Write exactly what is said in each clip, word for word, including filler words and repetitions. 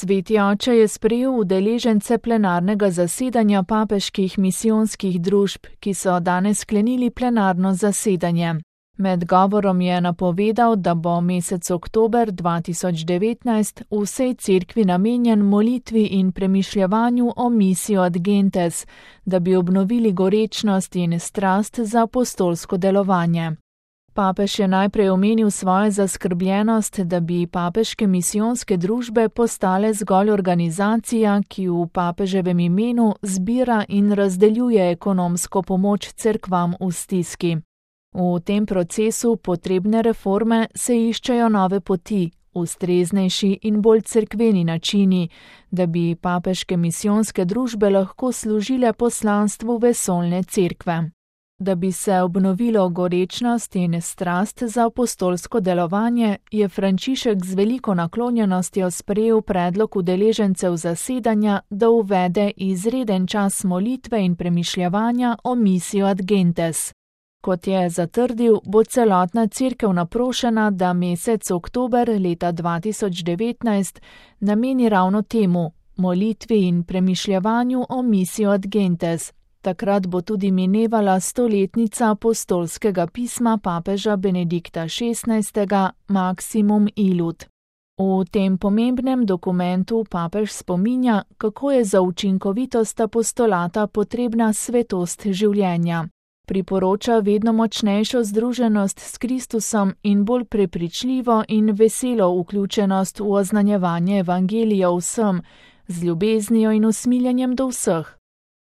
Sveti oče je sprejel udeležence plenarnega zasedanja papeških misijonskih družb, ki so danes sklenili plenarno zasedanje. Med govorom je napovedal, da bo mesec oktober dva tisoč devetnajst v vsej cerkvi namenjen molitvi in premišljevanju o Missio ad Gentes, da bi obnovili gorečnost in strast za apostolsko delovanje. Papež je najprej omenil svojo zaskrbljenost, da bi papeške misijonske družbe postale zgolj organizacija, ki v papeževem imenu zbira in razdeljuje ekonomsko pomoč cerkvam v stiski. V tem procesu potrebne reforme se iščejo nove poti, ustreznejši in bolj cerkveni načini, da bi papeške misijonske družbe lahko služile poslanstvu vesoljne cerkve. Da bi se obnovilo gorečnost in strast za apostolsko delovanje, je Frančišek z veliko naklonjenostjo sprejel predlog udeležencev zasedanja, da uvede izreden čas molitve in premišljevanja o Missio ad Gentes. Kot je zatrdil, bo celotna cerkev naprošena, da mesec oktober leta dva tisoč devetnajst nameni ravno temu, molitvi in premišljevanju o Missio ad Gentes. Takrat bo tudi minevala stoletnica apostolskega pisma papeža Benedikta šestnajstega Maximum Illud. V tem pomembnem dokumentu papež spominja, kako je za učinkovitost apostolata potrebna svetost življenja. Priporoča vedno močnejšo združenost s Kristusom in bolj prepričljivo in veselo vključenost v oznanjevanje evangelija vsem, z ljubeznijo in usmiljenjem do vseh.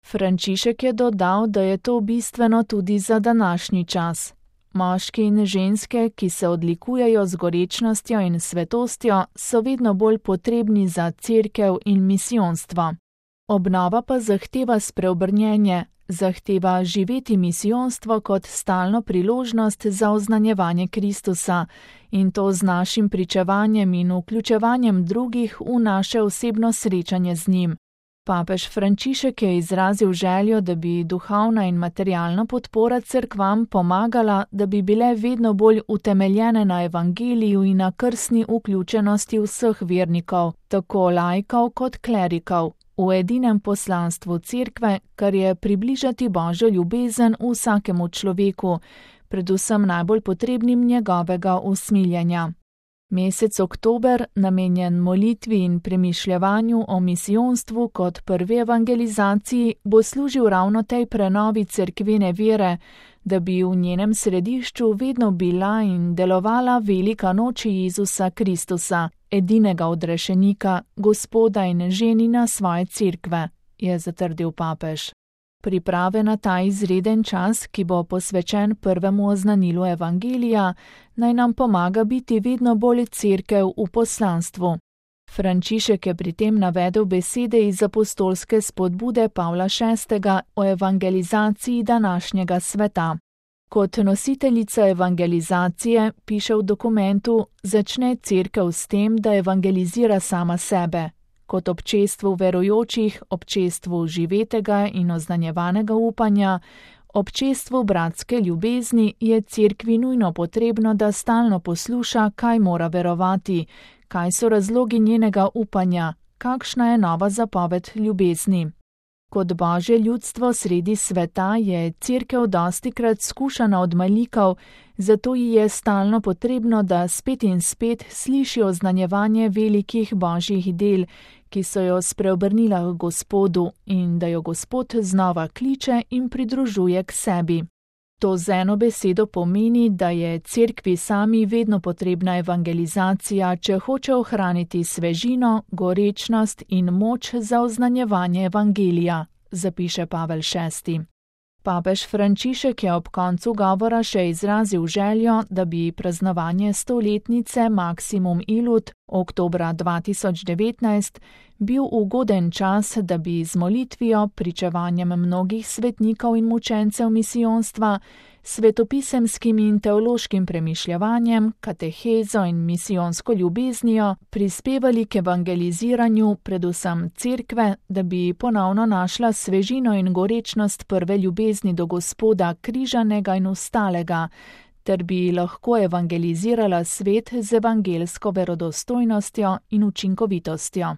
Frančišek je dodal, da je to bistveno tudi za današnji čas. Moški in ženske, ki se odlikujejo z gorečnostjo in svetostjo, so vedno bolj potrebni za cerkev in misijonstvo. Obnova pa zahteva spreobrnjenje, zahteva živeti misijonstvo kot stalno priložnost za oznanjevanje Kristusa in to z našim pričevanjem in vključevanjem drugih v naše osebno srečanje z njim. Papež Frančišek je izrazil željo, da bi duhovna in materialna podpora cerkvam pomagala, da bi bile vedno bolj utemeljene na evangeliju in na krstni vključenosti vseh vernikov, tako laikov kot klerikov, v edinem poslanstvu cerkve, kar je približati Božjo ljubezen vsakemu človeku, predvsem najbolj potrebnim njegovega usmiljenja. Mesec oktober, namenjen molitvi in premišljevanju o misijonstvu kot prvi evangelizaciji, bo služil ravno tej prenovi cerkvene vere, da bi v njenem središču vedno bila in delovala velika noč Jezusa Kristusa, edinega odrešenika, Gospoda in ženina svoje cerkve, je zatrdil papež. Priprave na ta izreden čas, ki bo posvečen prvemu oznanilu evangelija, naj nam pomaga biti vedno bolj cerkev v poslanstvu. Frančišek je pri tem navedel besede iz apostolske spodbude Pavla šestega o evangelizaciji današnjega sveta. Kot nositeljica evangelizacije, piše v dokumentu, začne cerkev s tem, da evangelizira sama sebe. Kot občestvu verujočih, občestvu živetega in oznanjevanega upanja, občestvu bratske ljubezni je cerkvi nujno potrebno, da stalno posluša, kaj mora verovati, kaj so razlogi njenega upanja, kakšna je nova zapoved ljubezni. Kot Božje ljudstvo sredi sveta je cerkev dostikrat skušana od malikov, zato ji je stalno potrebno, da spet in spet sliši oznanjevanje velikih Božjih del, ki so jo spreobrnila k Gospodu in da jo Gospod znova kliče in pridružuje k sebi. To z eno besedo pomeni, da je cerkvi sami vedno potrebna evangelizacija, če hoče ohraniti svežino, gorečnost in moč za oznanjevanje evangelija, zapiše Pavel šesti. Papež Frančišek je ob koncu govora še izrazil željo, da bi praznovanje stoletnice Maximum Illud oktobra dva tisoč devetnajst bil ugoden čas, da bi z molitvijo, pričevanjem mnogih svetnikov in mučencev misijonstva, svetopisemskim in teološkim premišljevanjem, katehezo in misijonsko ljubeznijo prispevali k evangeliziranju predvsem cerkve, da bi ponovno našla svežino in gorečnost prve ljubezni do Gospoda križanega in ustalega, ter bi lahko evangelizirala svet z evangelsko verodostojnostjo in učinkovitostjo.